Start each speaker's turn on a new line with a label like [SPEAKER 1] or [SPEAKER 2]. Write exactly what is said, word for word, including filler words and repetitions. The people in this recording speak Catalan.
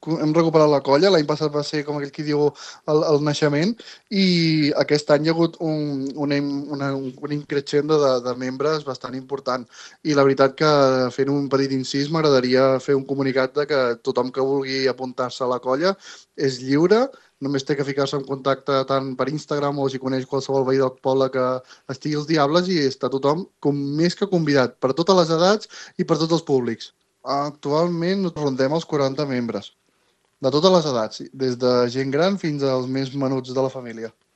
[SPEAKER 1] hem recuperat la colla. L'any passat va ser, com aquell qui diu, el, el naixement, i aquest any hi ha hagut un, una, una, un increixendo de, de membres bastant important. I la veritat que, fent un petit incís, m'agradaria fer un comunicat de que tothom que vulgui apuntar-se a la colla és lliure, només té que ficar-se en contacte tant per Instagram o si coneix qualsevol veí del poble que estigui als Diables, i està tothom com més que convidat, per totes les edats i per tots els públics. Actualment rondem els quaranta membres, de totes les edats, des de gent gran fins als més menuts de la família.